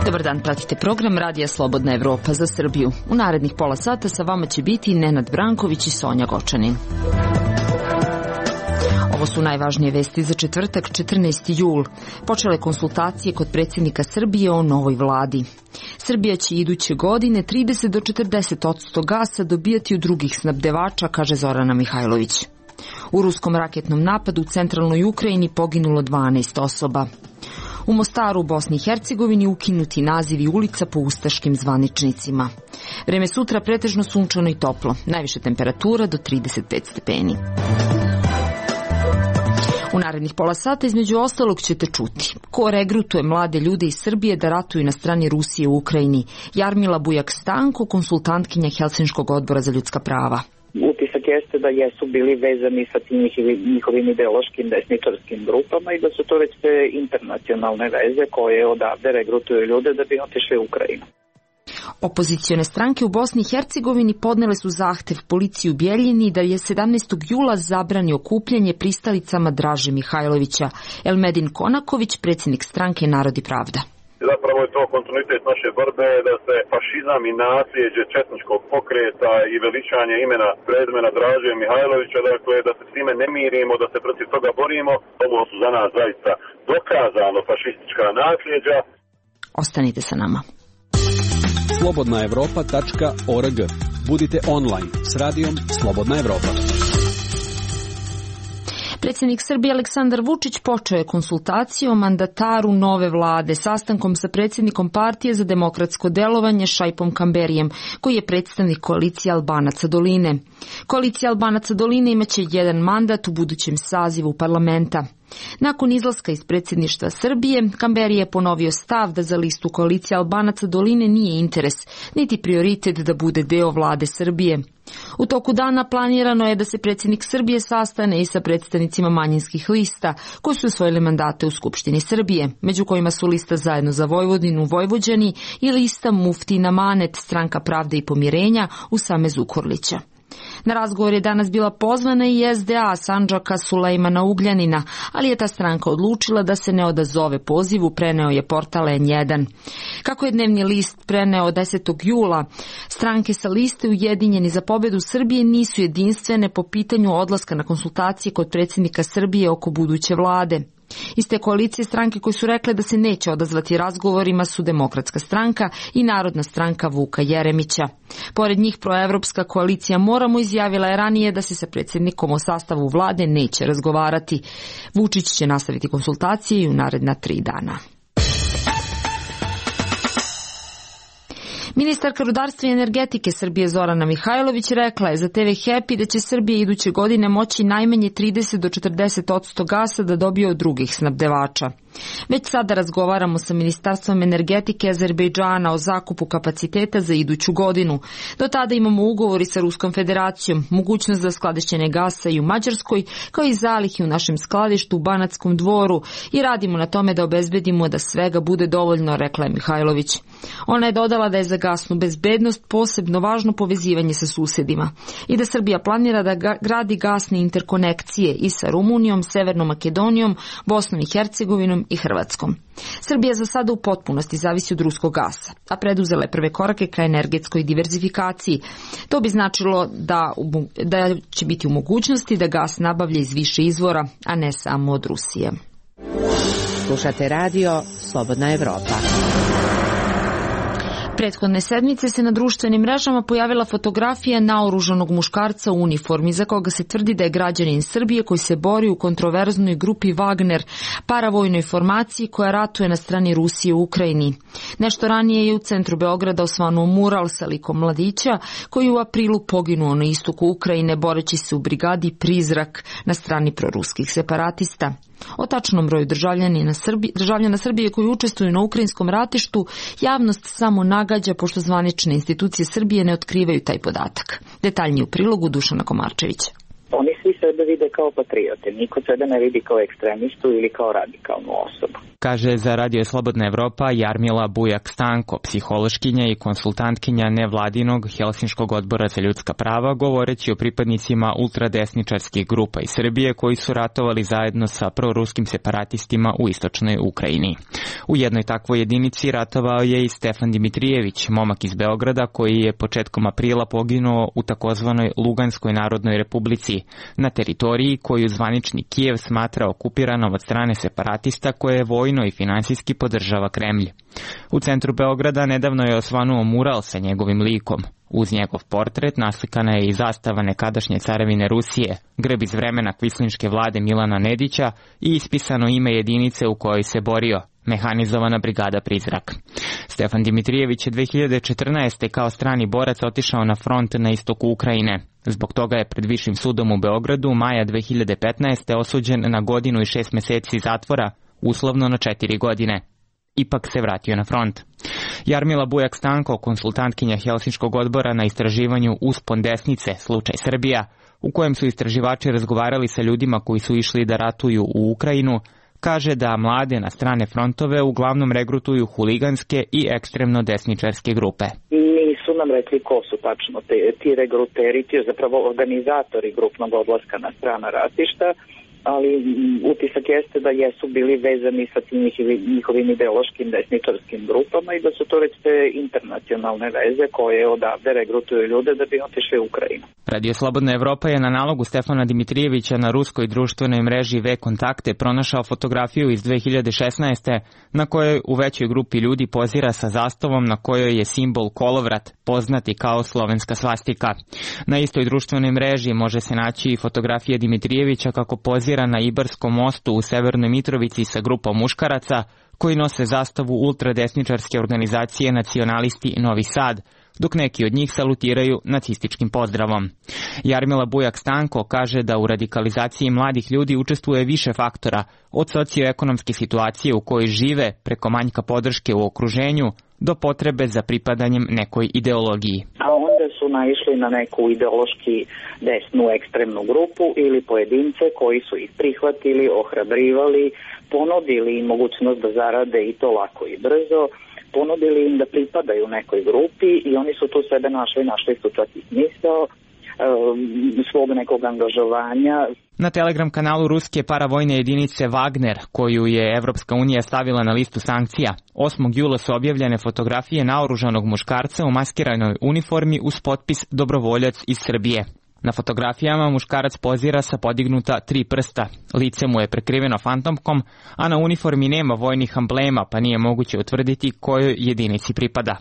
Dobar dan, pratite program Radija Slobodna Evropa za Srbiju. U narednih pola sata sa vama će biti Nenad Branković i Sonja Gočanin. Ovo su najvažnije vesti za četvrtak, 14. jul. Počele konsultacije kod predsjednika Srbije o novoj vladi. Srbija će iduće godine 30 do 40% gasa dobijati od drugih snabdevača, kaže Zorana Mihajlović. U ruskom raketnom napadu u centralnoj Ukrajini poginulo 12 osoba. U Mostaru u Bosni i Hercegovini ukinuti nazivi ulica po ustaškim zvaničnicima. Vreme sutra pretežno sunčano i toplo, najviše temperatura do 35 stepeni. U narednih pola sata između ostalog ćete čuti ko regrutuje mlade ljude iz Srbije da ratuju na strani Rusije u Ukrajini. Jarmila Bujak-Stanko, konsultantkinja Helsinškog odbora za ljudska prava. Utisak jeste da jesu bili vezani sa tim njihovim ideološkim desničarskim grupama i da su to već te internacionalne veze koje odavde regrutuju ljude da bi otišli u Ukrajinu. Opozicione stranke u Bosni i Hercegovini podnele su zahtev policiji u Bijeljini da je 17. jula zabrani okupljanje pristalicama Draže Mihajlovića. Elmedin Konaković, predsjednik stranke Narod i pravda. Zapravo je to kontinuitet naše borbe da se fašizam i nasljeđe četničkog pokreta i veličanje imena prezimena Draže Mihajlovića, dakle da se s time ne mirimo, da se protiv toga borimo. Ovo su za nas zaista dokazano fašistička nasljeđa. Ostanite sa nama. Slobodnaevropa.org. Budite online s radijom Slobodna Evropa. Predsjednik Srbije Aleksandar Vučić počeo je konsultacije o mandataru nove vlade sastankom sa predsjednikom Partije za demokratsko delovanje Šaipom Kamberijem, koji je predstavnik koalicije Albanaca doline. Koalicija Albanaca doline imaće jedan mandat u budućem sazivu parlamenta. Nakon izlaska iz predsjedništva Srbije, Kamberi je ponovio stav da za listu koalicije Albanaca doline nije interes, niti prioritet da bude deo vlade Srbije. U toku dana planirano je da se predsjednik Srbije sastane i sa predstavnicima manjinskih lista koji su osvojili mandate u Skupštini Srbije, među kojima su lista Zajedno za Vojvodinu Vojvođani i lista Muftina Manet, Stranka pravde i pomirenja Usame Zukorlića. Na razgovor je danas bila pozvana i SDA Sandžaka Sulejmana Ugljanina, ali je ta stranka odlučila da se ne odazove pozivu, preneo je portal N1. Kako je dnevni list preneo 10. jula, stranke sa liste Ujedinjeni za pobedu Srbije nisu jedinstvene po pitanju odlaska na konsultacije kod predsjednika Srbije oko buduće vlade. Iz te koalicije stranke koje su rekle da se neće odazvati razgovorima su Demokratska stranka i Narodna stranka Vuka Jeremića. Pored njih proevropska koalicija Moramo izjavila je ranije da se sa predsjednikom o sastavu vlade neće razgovarati. Vučić će nastaviti konsultacije i u naredna 3 dana. Ministarka rudarstva i energetike Srbije Zorana Mihajlović rekla je za TV Happy da će Srbija iduće godine moći najmanje 30 do 40% gasa da dobije od drugih snabdevača. Već sada razgovaramo sa Ministarstvom energetike Azerbejdžana o zakupu kapaciteta za iduću godinu. Do tada imamo ugovori sa Ruskom federacijom, mogućnost za skladištenje gasa i u Mađarskoj, kao i zalihi u našem skladištu u Banatskom Dvoru i radimo na tome da obezbedimo da svega bude dovoljno, rekla je Mihajlović. Ona je dodala da je za gasnu bezbednost posebno važno povezivanje sa susjedima i da Srbija planira da gradi gasne interkonekcije i sa Rumunijom, Severnom Makedonijom, Bosnom i Hercegovinom i Hrvatskom. Srbija za sada u potpunosti zavisi od ruskog gasa, a preduzela je prve korake ka energetskoj diverzifikaciji. To bi značilo da će biti u mogućnosti da gas nabavlja iz više izvora, a ne samo od Rusije. Slušate radio Slobodna Evropa. Prethodne sedmice se na društvenim mrežama pojavila fotografija naoružanog muškarca u uniformi za koga se tvrdi da je građanin Srbije koji se bori u kontroverznoj grupi Wagner, paravojnoj formaciji koja ratuje na strani Rusije u Ukrajini. Nešto ranije je u centru Beograda osvanuo mural sa likom mladića koji je u aprilu poginuo na istoku Ukrajine boreći se u brigadi Prizrak na strani proruskih separatista. O tačnom broju državljana Srbije koji učestvuju na ukrajinskom ratištu javnost samo nagađa pošto zvanične institucije Srbije ne otkrivaju taj podatak. Detaljnije u prilogu Dušana Komarčevića. Oni svi sebe sebe vide kao patriote. Niko sebe ne vidi kao ekstremistu ili kao radikalnu osobu. Kaže za Radio Slobodna Evropa Jarmila Bujak-Stanko, psihološkinja i konsultantkinja nevladinog Helsinškog odbora za ljudska prava, govoreći o pripadnicima ultradesničarskih grupa iz Srbije koji su ratovali zajedno sa proruskim separatistima u istočnoj Ukrajini. U jednoj takvoj jedinici ratovao je i Stefan Dimitrijević, momak iz Beograda koji je početkom aprila poginuo u takozvanoj Luganskoj narodnoj republici, na teritoriji koju zvanični Kijev smatra okupiranom od strane separatista koje je vojno i finansijski podržava Kremlj. U centru Beograda nedavno je osvanuo mural sa njegovim likom. Uz njegov portret naslikana je i zastava nekadašnje carevine Rusije, grb iz vremena kvislinške vlade Milana Nedića i ispisano ime jedinice u kojoj se borio, Mehanizovana brigada Prizrak. Stefan Dimitrijević je 2014. kao strani borac otišao na front na istoku Ukrajine. Zbog toga je pred Višim sudom u Beogradu maja 2015. osuđen na 1 godinu i 6 meseci zatvora, uslovno na 4 godine. Ipak se vratio na front. Jarmila Bujak-Stanko, konsultantkinja Helsinškog odbora na istraživanju Uspon desnice, slučaj Srbija, u kojem su istraživači razgovarali sa ljudima koji su išli da ratuju u Ukrajinu, kaže da mlade na strane frontove uglavnom regrutuju huliganske i ekstremno desničarske grupe. Nisu nam rekli ko su tačno ti regruteri, ti zapravo organizatori grupnog odlaska na strana ratišta, ali utisak jeste da jesu bili vezani sa tim njihovim ideološkim desničarskim grupama i da su to već te internacionalne veze koje odavde regrutuju ljude da bi otišli u Ukrajinu. Radio Slobodna Evropa je na nalogu Stefana Dimitrijevića na ruskoj društvenoj mreži V-Kontakte pronašao fotografiju iz 2016. na kojoj u većoj grupi ljudi pozira sa zastavom na kojoj je simbol kolovrat, poznati kao slovenska svastika. Na istoj društvenoj mreži može se naći i fotografija Dimitrijevića kako pozira na Ibarskom mostu u Severnoj Mitrovici sa grupom muškaraca koji nose zastavu ultradesničarske organizacije Nacionalisti Novi Sad, dok neki od njih salutiraju nacističkim pozdravom. Jarmila Bujak-Stanko kaže da u radikalizaciji mladih ljudi učestvuje više faktora, od socioekonomske situacije u kojoj žive preko manjka podrške u okruženju do potrebe za pripadanjem nekoj ideologiji. A onda su naišli na neku ideološki desnu ekstremnu grupu ili pojedince koji su ih prihvatili, ohrabrivali, ponudili im mogućnost da zarade i to lako i brzo, ponudili im da pripadaju nekoj grupi i oni su tu sebe našli su čak i smisao svog nekog angažovanja. Na Telegram kanalu ruske paravojne jedinice Wagner, koju je Evropska unija stavila na listu sankcija, 8. jula su objavljene fotografije naoružanog muškarca u maskiranoj uniformi uz potpis Dobrovoljac iz Srbije. Na fotografijama muškarac pozira sa podignuta 3 prsta, lice mu je prekriveno fantomkom, a na uniformi nema vojnih amblema, pa nije moguće utvrditi kojoj jedinici pripada.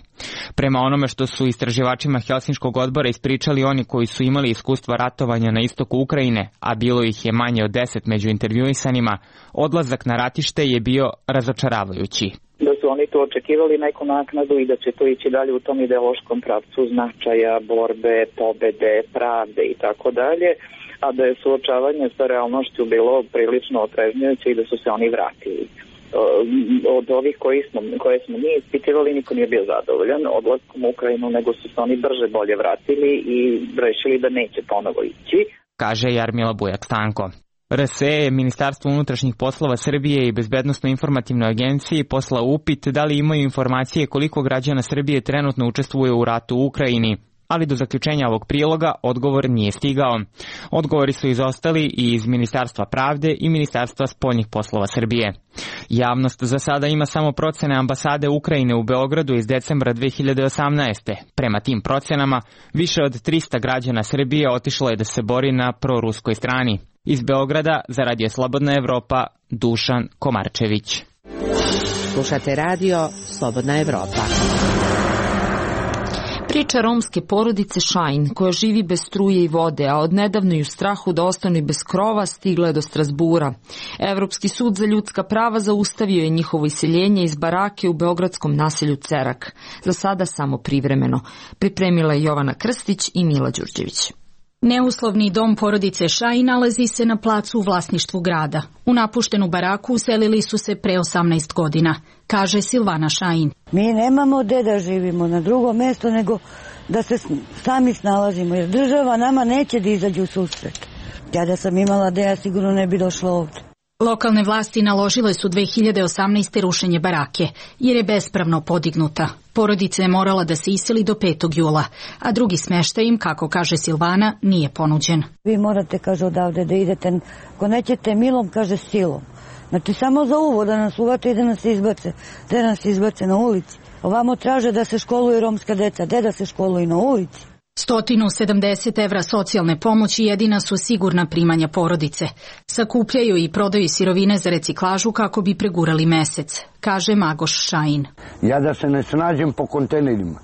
Prema onome što su istraživačima Helsinškog odbora ispričali oni koji su imali iskustva ratovanja na istoku Ukrajine, a bilo ih je manje od 10 među intervjuisanima, odlazak na ratište je bio razočaravajući. Da su oni tu očekivali neku naknadu i da će to ići dalje u tom ideološkom pravcu značaja, borbe, pobede, pravde i tako dalje, a da je suočavanje sa realnošću bilo prilično otrežnjujuće i da su se oni vratili. Od ovih koje smo mi ispitivali niko nije bio zadovoljan odlaskom u Ukrajinu, nego su se oni brže bolje vratili i rešili da neće ponovo ići. Kaže Jarmila Bujak-Stanko. RSE, Ministarstvo unutrašnjih poslova Srbije i Bezbednosno-informativnoj agenciji poslao upit da li imaju informacije koliko građana Srbije trenutno učestvuje u ratu u Ukrajini, ali do zaključenja ovog priloga odgovor nije stigao. Odgovori su izostali i iz Ministarstva pravde i Ministarstva spoljnih poslova Srbije. Javnost za sada ima samo procene ambasade Ukrajine u Beogradu iz decembra 2018. Prema tim procenama, više od 300 građana Srbije otišlo je da se bori na proruskoj strani. Iz Beograda za Radio Slobodna Evropa, Dušan Komarčević. Slušate Radio Slobodna Evropa. Priča romske porodice Šajn, koja živi bez struje i vode, a odnedavno i u strahu da ostanu bez krova, stigla je do Strasbura. Evropski sud za ljudska prava zaustavio je njihovo iseljenje iz barake u beogradskom naselju Cerak. Za sada samo privremeno. Pripremila je Jovana Krstić i Mila Đurđević. Neuslovni dom porodice Šajn nalazi se na placu u vlasništvu grada. U napuštenu baraku uselili su se pre 18 godina, kaže Silvana Šajn. Mi nemamo gde da živimo na drugo mesto nego da se sami snalazimo, jer država nama neće da izađe u susret. Ja da sam imala da ja sigurno ne bi došla ovdje. Lokalne vlasti naložile su 2018. rušenje barake, jer je bespravno podignuta. Porodica je morala da se iseli do 5. jula, a drugi smeštaj im, kako kaže Silvana, nije ponuđen. Vi morate, kaže, odavde da idete, ako nećete milom, kaže, silom. Znači, samo za uvod da nas uvate i da nas izbace. Da nas izbace na ulici. Ovamo traže da se školuju romska deca, da se školuju na ulici. 170 evra socijalne pomoći jedina su sigurna primanja porodice. Sakupljaju i prodaju sirovine za reciklažu kako bi pregurali mesec, kaže Magoš Šajin. Ja da se ne snađem po kontejnerima,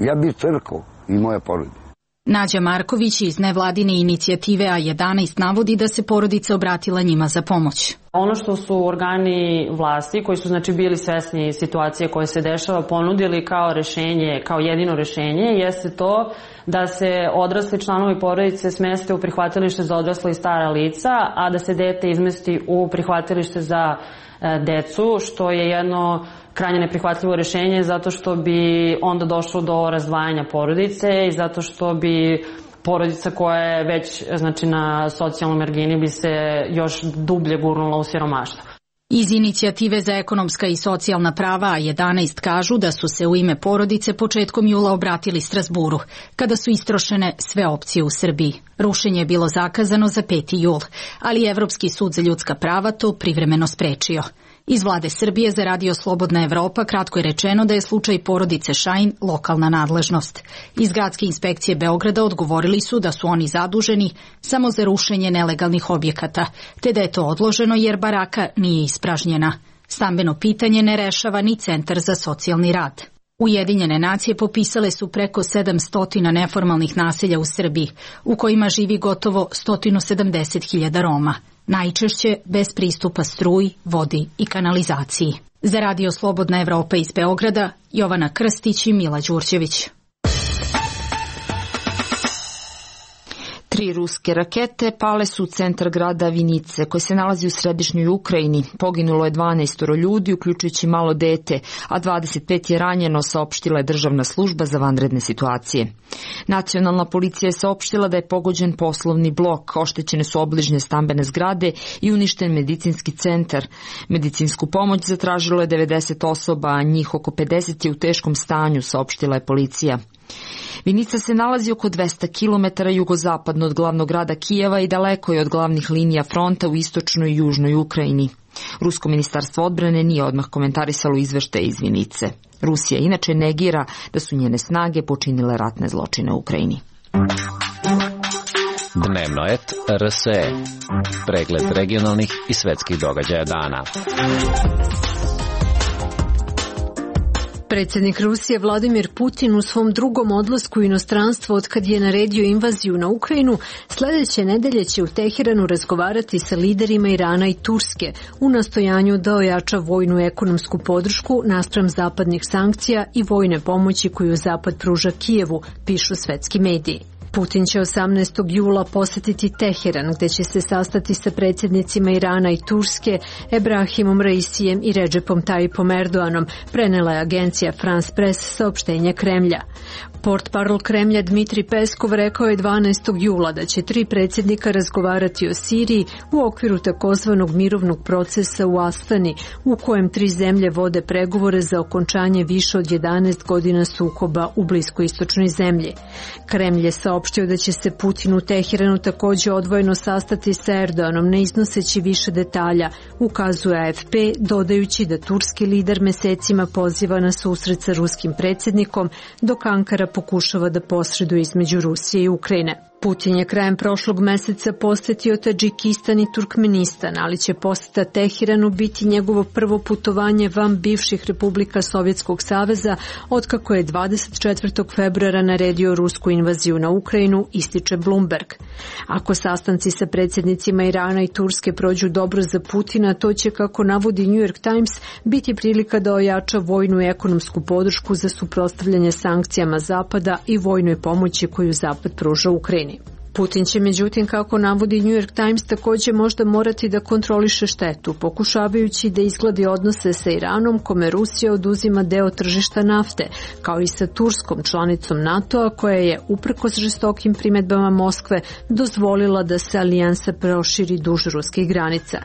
ja bi crkao i moja porodica. Nađa Marković iz nevladine inicijative A11 navodi da se porodica obratila njima za pomoć. Ono što su organi vlasti, koji su znači bili svesni situacije koje se dešava, ponudili kao rešenje, kao jedino rešenje, jeste to da se odrasli članovi porodice smeste u prihvatilište za odrasla i stara lica, a da se dete izmesti u prihvatilište za decu, što je jedno krajnje neprihvatljivo rešenje zato što bi onda došlo do razdvajanja porodice i zato što bi porodica koja je već znači, na socijalnoj margini bi se još dublje gurnula u siromaštvo. Iz inicijative za ekonomska i socijalna prava A11 kažu da su se u ime porodice početkom jula obratili Strazburu, kada su istrošene sve opcije u Srbiji. Rušenje je bilo zakazano za 5. jul, ali Evropski sud za ljudska prava to privremeno sprečio. Iz vlade Srbije za Radio Slobodna Evropa kratko je rečeno da je slučaj porodice Šajin lokalna nadležnost. Iz gradske inspekcije Beograda odgovorili su da su oni zaduženi samo za rušenje nelegalnih objekata, te da je to odloženo jer baraka nije ispražnjena. Stambeno pitanje ne rešava ni Centar za socijalni rad. Ujedinjene nacije popisale su preko 700 neformalnih naselja u Srbiji, u kojima živi gotovo 170.000 Roma. Najčešće bez pristupa struji, vodi i kanalizaciji. Za Radio Slobodna Evropa iz Beograda, Jovana Krstić i Mila Đurđević. 3 ruske rakete pale su u centar grada Vinice, koji se nalazi u središnjoj Ukrajini. Poginulo je 12 ljudi, uključujući malo dete, a 25 je ranjeno, saopštila je državna služba za vanredne situacije. Nacionalna policija je saopštila da je pogođen poslovni blok, oštećene su obližnje stambene zgrade i uništen medicinski centar. Medicinsku pomoć zatražilo je 90 osoba, a njih oko 50 je u teškom stanju, saopštila je policija. Vinica se nalazi oko 200 km jugozapadno od glavnog grada Kijeva i daleko je od glavnih linija fronta u istočnoj i južnoj Ukrajini. Rusko ministarstvo odbrane nije odmah komentarisalo izveštaje iz Vinice. Rusija inače negira da su njene snage počinile ratne zločine u Ukrajini. Dnevno et RSE. Pregled regionalnih i svetskih događaja dana. Predsjednik Rusije Vladimir Putin u svom drugom odlasku u inostranstvo otkad je naredio invaziju na Ukrajinu, sljedeće nedelje će u Teheranu razgovarati sa liderima Irana i Turske u nastojanju da ojača vojnu ekonomsku podršku naspram zapadnih sankcija i vojne pomoći koju Zapad pruža Kijevu, pišu svetski mediji. Putin će 18. jula posjetiti Teheran, gdje će se sastati sa predsjednicima Irana i Turske, Ebrahimom Raisijem i Redžepom Tayyipom Erdoganom, prenela je agencija France Press saopštenje Kremlja. Portparol Kremlja Dmitri Peskov rekao je 12. jula da će 3 predsjednika razgovarati o Siriji u okviru takozvanog mirovnog procesa u Astani, u kojem 3 zemlje vode pregovore za okončanje više od 11 godina sukoba u bliskoistočnoj zemlji. Kremlj je saopštio da će se Putin u Teheranu također odvojeno sastati sa Erdoganom, ne iznoseći više detalja, ukazuje AFP, dodajući da turski lider mesecima poziva na susret sa ruskim predsjednikom, dok Ankara pokušava da posreduje između Rusije i Ukrajine. Putin je krajem prošlog meseca posjetio Tadžikistan i Turkmenistan, ali će posjeta Teheranu biti njegovo prvo putovanje van bivših republika Sovjetskog saveza, otkako je 24. februara naredio rusku invaziju na Ukrajinu, ističe Bloomberg. Ako sastanci sa predsjednicima Irana i Turske prođu dobro za Putina, to će, kako navodi New York Times, biti prilika da ojača vojnu i ekonomsku podršku za suprotstavljanje sankcijama Zapada i vojnoj pomoći koju Zapad pruža Ukrajini. Putin će međutim, kako navodi New York Times, također možda morati da kontroliše štetu, pokušavajući da izgladi odnose sa Iranom, kome Rusija oduzima deo tržišta nafte, kao i sa Turskom, članicom NATO-a, koja je, uprkos žestokim primedbama Moskve, dozvolila da se alijansa proširi duž ruskih granica.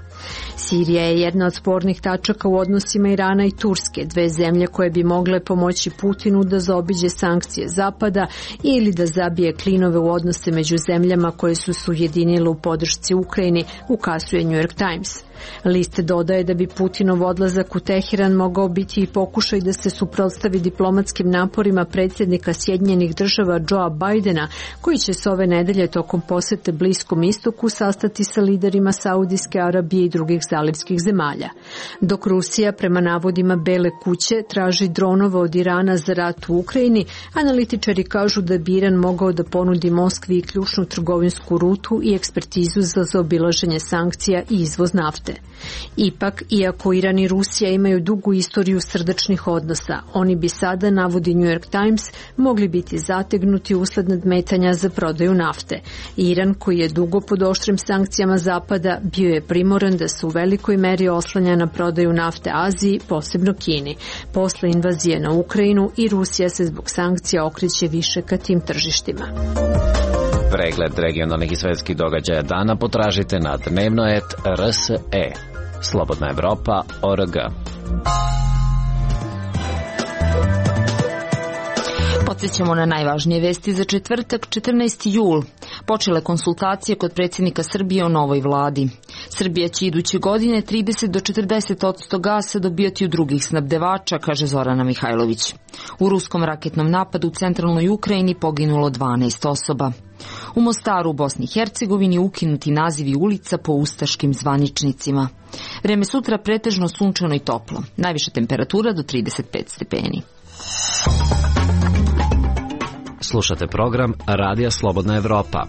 Sirija je jedna od spornih tačaka u odnosima Irana i Turske, dve zemlje koje bi mogle pomoći Putinu da zaobiđe sankcije Zapada ili da zabije klinove u odnose među zemljama koje su se ujedinile u podršci Ukrajini, ukazuje New York Times. List dodaje da bi Putinov odlazak u Teheran mogao biti i pokušaj da se suprotstavi diplomatskim naporima predsjednika Sjedinjenih Država Joea Bidena, koji će se ove nedelje tokom posete Bliskom istoku sastati sa liderima Saudijske Arabije i drugih zalivskih zemalja. Dok Rusija, prema navodima Bele kuće, traži dronove od Irana za rat u Ukrajini, analitičari kažu da bi Iran mogao da ponudi Moskvi i ključnu trgovinsku rutu i ekspertizu za zaobilaženje sankcija i izvoz nafte. Ipak, iako Iran i Rusija imaju dugu istoriju srdačnih odnosa, oni bi sada, navodi New York Times, mogli biti zategnuti usled nadmetanja za prodaju nafte. Iran, koji je dugo pod oštrim sankcijama Zapada, bio je primoran da se u velikoj meri oslanja na prodaju nafte Aziji, posebno Kini. Posle invazije na Ukrajinu i Rusija se zbog sankcija okreće više ka tim tržištima. Pregled regionalnih i svetskih događaja dana potražite na dnevno.rs.e. Slobodna Evropa.org. Podsjećamo na najvažnije vesti za četvrtak, 14. jul. Počele konsultacije kod predsjednika Srbije o novoj vladi. Srbija će iduće godine 30 do 40% gasa dobijati od drugih snabdevača, kaže Zorana Mihajlović. U ruskom raketnom napadu u centralnoj Ukrajini poginulo 12 osoba. U Mostaru u Bosni i Hercegovini ukinuti nazivi ulica po ustaškim zvaničnicima. Vreme sutra pretežno sunčano i toplo. Najviša temperatura do 35 stepeni. Slušate program Radija Slobodna Evropa.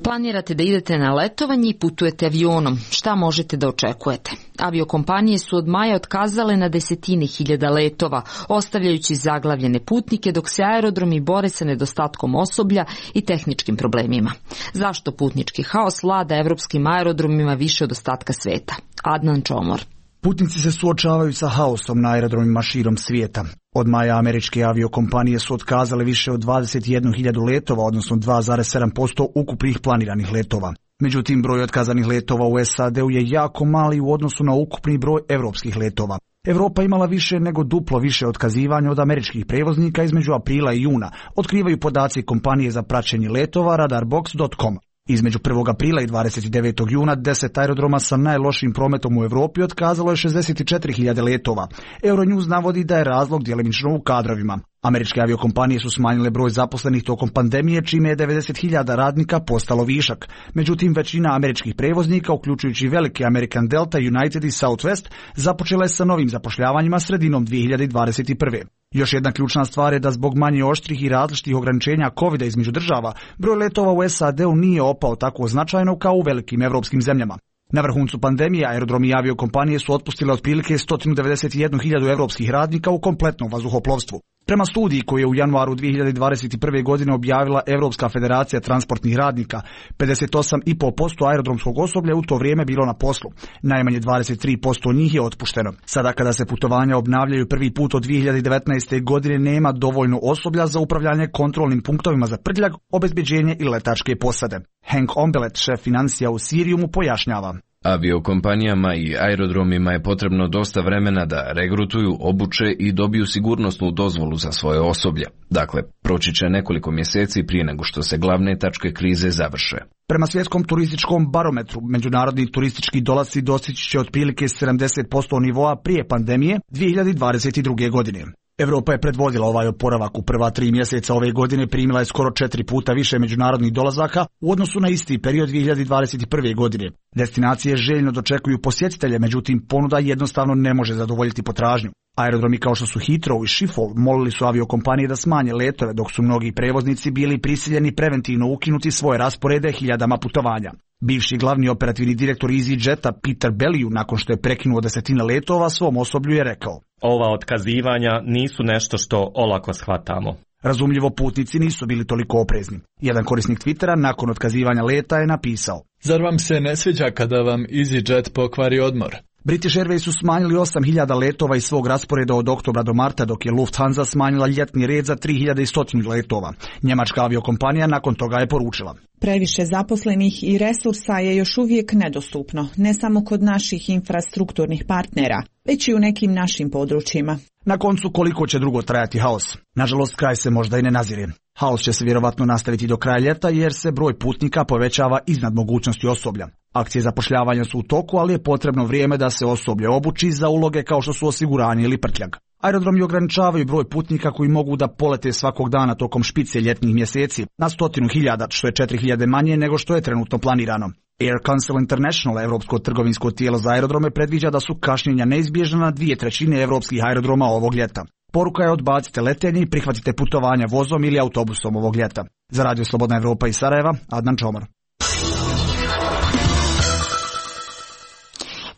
Planirate da idete na letovanje i putujete avionom. Šta možete da očekujete? Aviokompanije su od maja otkazale na desetine hiljada letova, ostavljajući zaglavljene putnike, dok se aerodromi bore sa nedostatkom osoblja i tehničkim problemima. Zašto putnički haos vlada evropskim aerodromima više od ostatka sveta? Adnan Čomor. Putnici se suočavaju sa haosom na aerodromima širom svijeta. Od maja američke aviokompanije su otkazale više od 21.000 letova, odnosno 2,7% ukupnih planiranih letova. Međutim, broj otkazanih letova u SAD-u je jako mali u odnosu na ukupni broj evropskih letova. Evropa imala više nego duplo više otkazivanja od američkih prevoznika između aprila i juna, otkrivaju podaci kompanije za praćenje letova radarbox.com. Između 1. aprila i 29. juna 10 aerodroma sa najlošijim prometom u Evropi otkazalo je 64.000 letova. Euronews navodi da je razlog djelimično u kadrovima. Američke aviokompanije su smanjile broj zaposlenih tokom pandemije, čime je 90.000 radnika postalo višak. Međutim, većina američkih prevoznika, uključujući velike American Delta, United i Southwest, započela je sa novim zapošljavanjima sredinom 2021. Još jedna ključna stvar je da zbog manje oštrih i različitih ograničenja COVID-a između država, broj letova u SAD-u nije opao tako značajno kao u velikim evropskim zemljama. Na vrhuncu pandemije aerodromi i aviokompanije su otpustile otprilike 191.000 evropskih radnika u kompletnom vazduhoplovstvu. Prema studiji koju je u januaru 2021. godine objavila Evropska federacija transportnih radnika, 58,5% aerodromskog osoblja u to vrijeme bilo na poslu. Najmanje 23% njih je otpušteno. Sada kada se putovanja obnavljaju prvi put od 2019. godine nema dovoljno osoblja za upravljanje kontrolnim punktovima za prtljag, obezbeđenje i letačke posade. Hank Ombelet, šef financija u Siriumu, pojašnjava. Aviokompanijama i aerodromima je potrebno dosta vremena da regrutuju, obuče i dobiju sigurnosnu dozvolu za svoje osoblje. Dakle, proći će nekoliko mjeseci prije nego što se glavne tačke krize završe. Prema svjetskom turističkom barometru, međunarodni turistički dolasci dostići će otprilike 70% nivoa prije pandemije 2022. godine. Evropa je predvodila ovaj oporavak. U prva 3 mjeseca ove godine primila je skoro 4 puta više međunarodnih dolazaka u odnosu na isti period 2021. godine. Destinacije željno dočekuju posjetitelje, međutim ponuda jednostavno ne može zadovoljiti potražnju. Aerodromi kao što su Heathrow i Schiphol molili su aviokompanije da smanje letove, dok su mnogi prevoznici bili prisiljeni preventivno ukinuti svoje rasporede hiljadama putovanja. Bivši glavni operativni direktor EasyJeta Peter Bellew, nakon što je prekinuo desetine letova, svom osoblju je rekao: Ova otkazivanja nisu nešto što olako shvatamo. Razumljivo, putnici nisu bili toliko oprezni. Jedan korisnik Twittera nakon otkazivanja leta je napisao: Zar vam se ne sviđa kada vam EasyJet pokvari odmor? British Airways su smanjili 8.000 letova iz svog rasporeda od oktobra do marta, dok je Lufthansa smanjila ljetni red za 3.100 letova. Njemačka aviokompanija nakon toga je poručila: Previše zaposlenih i resursa je još uvijek nedostupno, ne samo kod naših infrastrukturnih partnera, već i u nekim našim područjima. Na koncu, koliko će dugo trajati haos? Nažalost, kraj se možda i ne nazire. Haos će se vjerovatno nastaviti do kraja ljeta jer se broj putnika povećava iznad mogućnosti osoblja. Akcije zapošljavanja su u toku, ali je potrebno vrijeme da se osoblje obuči za uloge kao što su osiguranje ili prtljag. Aerodromi ograničavaju broj putnika koji mogu da polete svakog dana tokom špice ljetnih mjeseci na 100.000, što je 4.000 manje nego što je trenutno planirano. Air Council International, evropsko trgovinsko tijelo za aerodrome, predviđa da su kašnjenja neizbježna na 2/3 evropskih aerodroma ovog ljeta. Poruka je: odbacite letenje i prihvatite putovanja vozom ili autobusom ovog ljeta. Za Radio Slobodna Evropa iz Sarajeva, Adnan Čomar.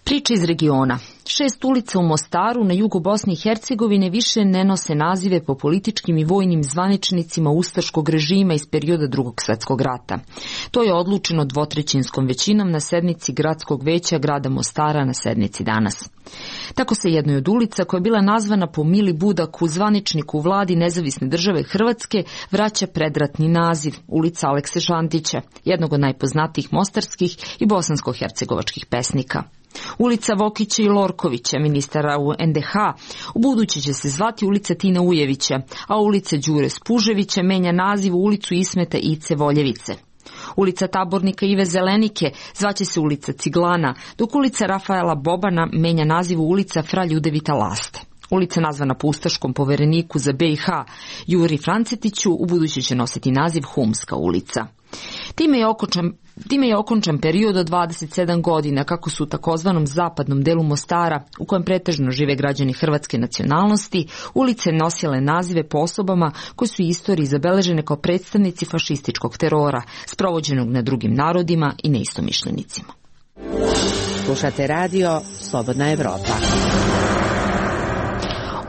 Priče iz regiona. 6 ulica u Mostaru na jugu Bosne i Hercegovine više ne nose nazive po političkim i vojnim zvaničnicima ustaškog režima iz perioda Drugog svjetskog rata. To je odlučeno dvotrećinskom većinom na sednici Gradskog veća grada Mostara na sednici danas. Tako se jednoj od ulica, koja je bila nazvana po Mili Budaku, zvaničniku u vladi Nezavisne države Hrvatske, vraća predratni naziv, ulica Alekse Šantića, jednog od najpoznatijih mostarskih i bosansko-hercegovačkih pesnika. Ulica Vokića i Lorkovića, ministara u NDH, u buduće će se zvati ulica Tina Ujevića, a ulica Đure Spuževića menja naziv u ulicu Ismeta Ice Voljevice. Ulica Tabornika Ive Zelenike zvaće se ulica Ciglana, dok ulica Rafaela Bobana menja naziv u ulica Fra Ljudevita Laste. Ulica nazvana po ustaškom povereniku za BiH Juri Francetiću u buduće će nositi naziv Humska ulica. Time je okončan period od 27 godina kako su u takozvanom zapadnom delu Mostara, u kojem pretežno žive građani hrvatske nacionalnosti, ulice nosile nazive po osobama koji su u istoriji zabeležene kao predstavnici fašističkog terora, sprovođenog na drugim narodima i neistomišljenicima. Slušate radio Slobodna Evropa.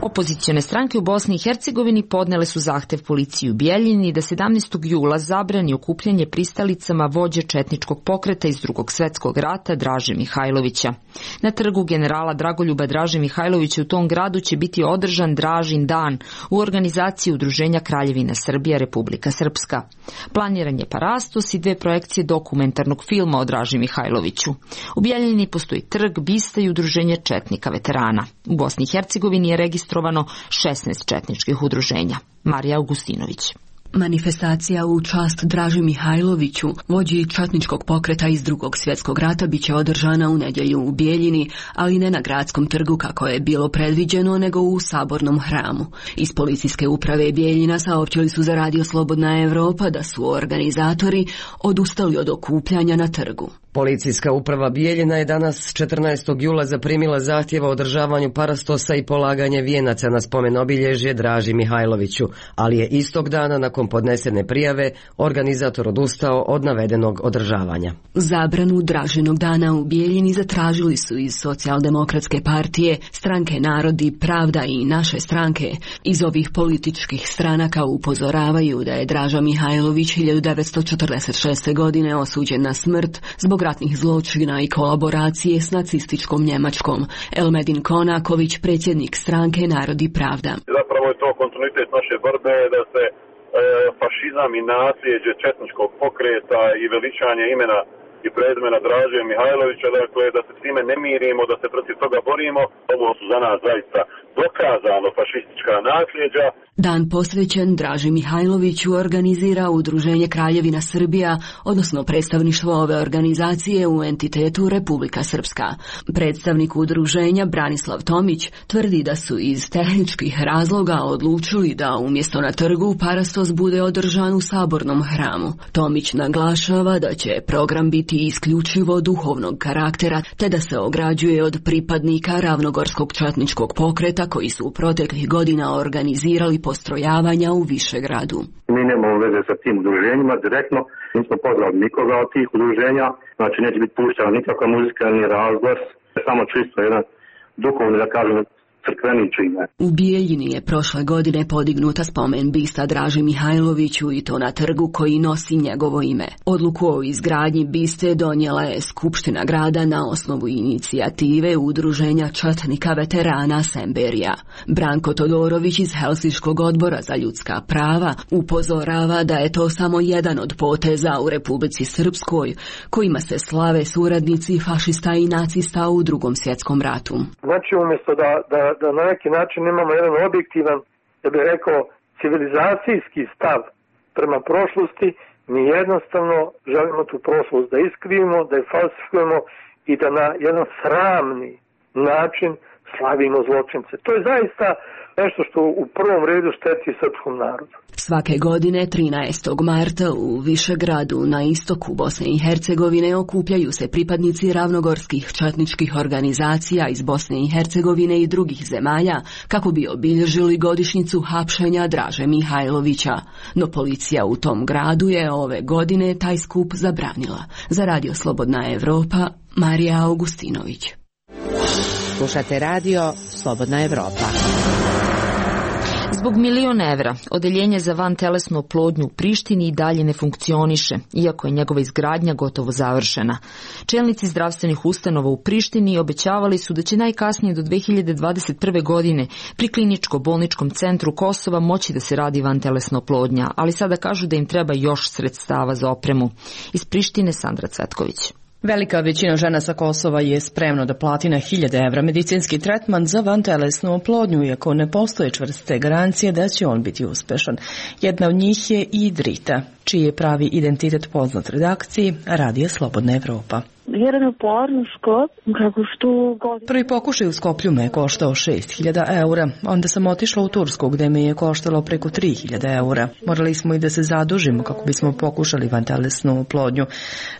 Opozicione stranke u Bosni i Hercegovini podnele su zahtev policiji u Bijeljini da 17. jula zabrani okupljanje pristalicama vođe četničkog pokreta iz Drugog svjetskog rata Draže Mihajlovića. Na trgu generala Dragoljuba Draže Mihajlovića u tom gradu će biti održan Dražin dan u organizaciji Udruženja Kraljevina Srbija Republika Srpska. Planiran je parastos i 2 projekcije dokumentarnog filma o Draži Mihajloviću. U Bijeljini postoji trg, bista i udruženje četnika veterana. U Bosni i Hercegovini je registrovano 16 četničkih udruženja. Marija Augustinović. Manifestacija u čast Draži Mihajloviću, vođi četničkog pokreta iz Drugog svjetskog rata, biće održana u nedjelju u Bijeljini, ali ne na gradskom trgu kako je bilo predviđeno, nego u sabornom hramu. Iz policijske uprave Bijeljina saopćili su za Radio Slobodna Evropa da su organizatori odustali od okupljanja na trgu. Policijska uprava Bijeljina je danas 14. jula zaprimila zahtjev o održavanju parastosa i polaganje vijenaca na spomen obilježje Draži Mihajloviću, ali je istog dana nakon podnesene prijave organizator odustao od navedenog održavanja. Zabranu Dražinog dana u Bijeljini zatražili su iz Socijaldemokratske partije, Stranke Narodi, Pravda i Naše stranke. Iz ovih političkih stranaka upozoravaju da je Draža Mihajlović 1946. godine osuđen na smrt zbog ratnih zločina i kolaboracije s nacističkom Njemačkom. Elmedin Konaković, predsjednik Stranke Narodi Pravda. Zapravo je to kontinuitet naše borbe da se fašizam i nasljeđe četničkog pokreta i veličanje imena i prezimena Draže Mihajlovića, dakle da se s time ne mirimo, da se protiv toga borimo. Ovo su za nas zaista dokazano fašistička nasljeđa. Dan posvećen Draži Mihajloviću organizira Udruženje Kraljevina Srbija, odnosno predstavništvo ove organizacije u entitetu Republika Srpska. Predstavnik udruženja Branislav Tomić tvrdi da su iz tehničkih razloga odlučili da umjesto na trgu parastos bude održan u sabornom hramu. Tomić naglašava da će program biti isključivo duhovnog karaktera, te da se ograđuje od pripadnika ravnogorskog četničkog pokreta koji su proteklih godina organizirali postrojavanja u Višegradu. Mi nemamo veze sa tim udruženjima direktno, nismo pozvali nikoga od tih udruženja, znači neće biti puštena nikakva muzika ni razglas, samo čisto jedan duhovni, da kažem, crkveni čine. U Bijeljini je prošle godine podignuta spomen bista Draži Mihajloviću i to na trgu koji nosi njegovo ime. Odluku o izgradnji biste donijela je Skupština grada na osnovu inicijative Udruženja četnika veterana Semberija. Branko Todorović iz Helsinškog odbora za ljudska prava upozorava da je to samo jedan od poteza u Republici Srpskoj kojima se slave suradnici fašista i nacista u Drugom svjetskom ratu. Znači umjesto da na neki način imamo jedan objektivan, da bih rekao, civilizacijski stav prema prošlosti, mi jednostavno želimo tu prošlost da iskrivimo, da je falsifikujemo i da na jedan sramni način slavimo zločince. To je zaista nešto što u prvom redu šteti srpskom narodu. Svake godine 13. marta u Višegradu na istoku Bosne i Hercegovine okupljaju se pripadnici ravnogorskih četničkih organizacija iz Bosne i Hercegovine i drugih zemalja kako bi obilježili godišnjicu hapšenja Draže Mihajlovića. No policija u tom gradu je ove godine taj skup zabranila. Za Radio Slobodna Evropa, Marija Augustinović. Slušate radio Slobodna Evropa. Zbog $1.000.000 evra, odeljenje za vantelesnu oplodnju u Prištini i dalje ne funkcioniše, iako je njegova izgradnja gotovo završena. Čelnici zdravstvenih ustanova u Prištini obećavali su da će najkasnije do 2021. godine pri kliničko-bolničkom centru Kosova moći da se radi vantelesna oplodnja, ali sada kažu da im treba još sredstava za opremu. Iz Prištine Sandra Cvetković. Velika većina žena sa Kosova je spremno da plati na $1.000 medicinski tretman za vantelesnu oplodnju, iako ne postoje čvrste garancije da će on biti uspešan. Jedna od njih je i Drita, čiji je pravi identitet poznat redakciji Radija Slobodna Evropa. Prvi pokušaj u Skoplju me je koštao 6.000 eura, onda sam otišla u Tursku gde me je koštalo preko 3.000 eura. Morali smo i da se zadužimo kako bismo pokušali vantelesnu oplodnju,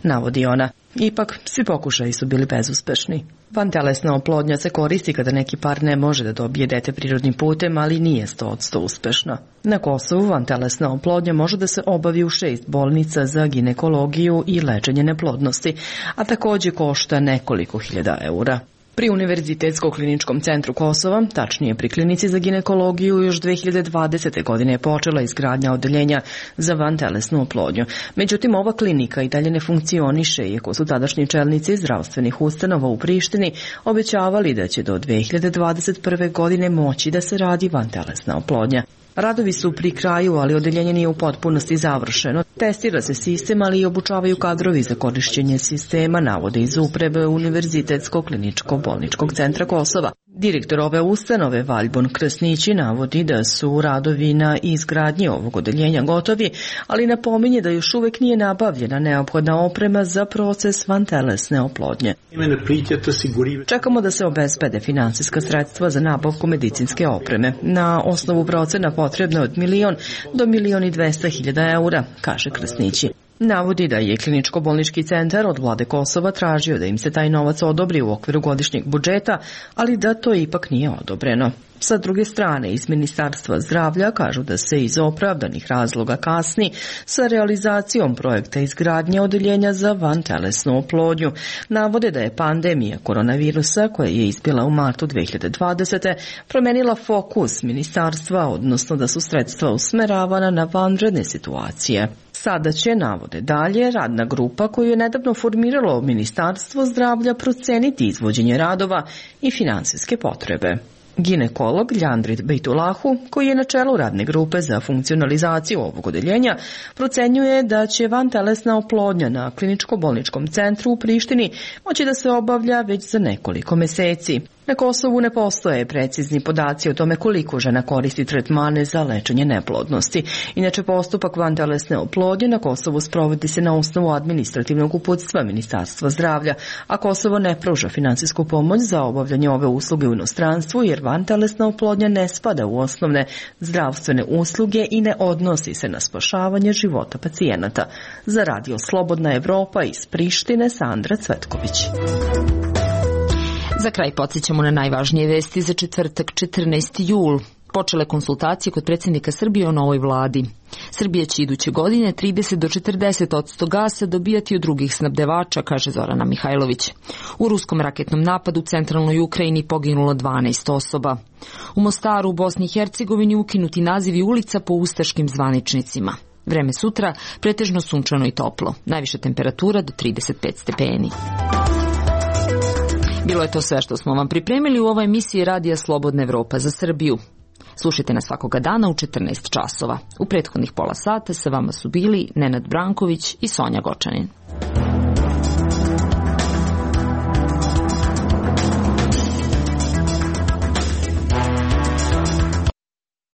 navodi ona. Ipak, svi pokušaji su bili bezuspešni. Vantelesna oplodnja se koristi kada neki par ne može da dobije dete prirodnim putem, ali nije 100% uspešna. Na Kosovu vantelesna oplodnja može da se obavi u 6 bolnica za ginekologiju i lečenje neplodnosti, a takođe košta nekoliko hiljada eura. Pri Univerzitetskom kliničkom centru Kosova, tačnije pri klinici za ginekologiju, još 2020. godine je počela izgradnja odeljenja za vantelesnu oplodnju. Međutim, ova klinika i dalje ne funkcioniše, iako su tadašnji čelnici zdravstvenih ustanova u Prištini obećavali da će do 2021. godine moći da se radi vantelesna oplodnja. Radovi su pri kraju, ali odeljenje nije u potpunosti završeno. Testira se sistem, ali i obučavaju kadrovi za korišćenje sistema, navode iz uprave Univerzitetskog kliničko-bolničkog centra Kosova. Direktor ove ustanove, Valjbon Krsnići, navodi da su radovi na izgradnji ovog odeljenja gotovi, ali napominje da još uvek nije nabavljena neophodna oprema za proces vantelesne oplodnje. Čekamo da se obezbede finansijska sredstva za nabavku medicinske opreme. Na osnovu procena potrebno od 1.000.000 do 1.200.000 eura, kaže Krsnići. Navodi da je kliničko-bolnički centar od vlade Kosova tražio da im se taj novac odobri u okviru godišnjeg budžeta, ali da to ipak nije odobreno. Sa druge strane, iz Ministarstva zdravlja kažu da se iz opravdanih razloga kasni sa realizacijom projekta izgradnje odeljenja za vantelesnu oplodnju. Navode da je pandemija koronavirusa, koja je izbila u martu 2020. promenila fokus ministarstva, odnosno da su sredstva usmeravana na vanredne situacije. Sada će, navode dalje, radna grupa koju je nedavno formiralo Ministarstvo zdravlja proceniti izvođenje radova i finansijske potrebe. Ginekolog Ljandrit Bejtulahu, koji je na čelu radne grupe za funkcionalizaciju ovog odeljenja, procenjuje da će vantelesna oplodnja na kliničko-bolničkom centru u Prištini moći da se obavlja već za nekoliko meseci. Na Kosovu ne postoje precizni podaci o tome koliko žena koristi tretmane za lečenje neplodnosti. Inače, postupak vantelesne oplodnje na Kosovu sprovodi se na osnovu administrativnog uputstva Ministarstva zdravlja, a Kosovo ne pruža finansijsku pomoć za obavljanje ove usluge u inostranstvu, jer vantelesna oplodnja ne spada u osnovne zdravstvene usluge i ne odnosi se na spašavanje života pacijenata. Za Radio Slobodna Evropa iz Prištine, Sandra Cvetković. Za kraj podsjećamo na najvažnije vesti za četvrtak 14. jul. Počele konsultacije kod predsjednika Srbije o novoj vladi. Srbija će iduće godine 30 do 40% gasa dobijati od drugih snabdevača, kaže Zorana Mihajlović. U ruskom raketnom napadu u centralnoj Ukrajini poginulo 12 osoba. U Mostaru u Bosni i Hercegovini ukinuti nazivi ulica po ustaškim zvaničnicima. Vreme sutra pretežno sunčano i toplo. Najviša temperatura do 35 stepeni. Bilo je to sve što smo vam pripremili u ovoj emisiji Radija Slobodna Evropa za Srbiju. Slušajte nas svakoga dana u 14 časova. U prethodnih pola sata sa vama su bili Nenad Branković i Sonja Gočanin.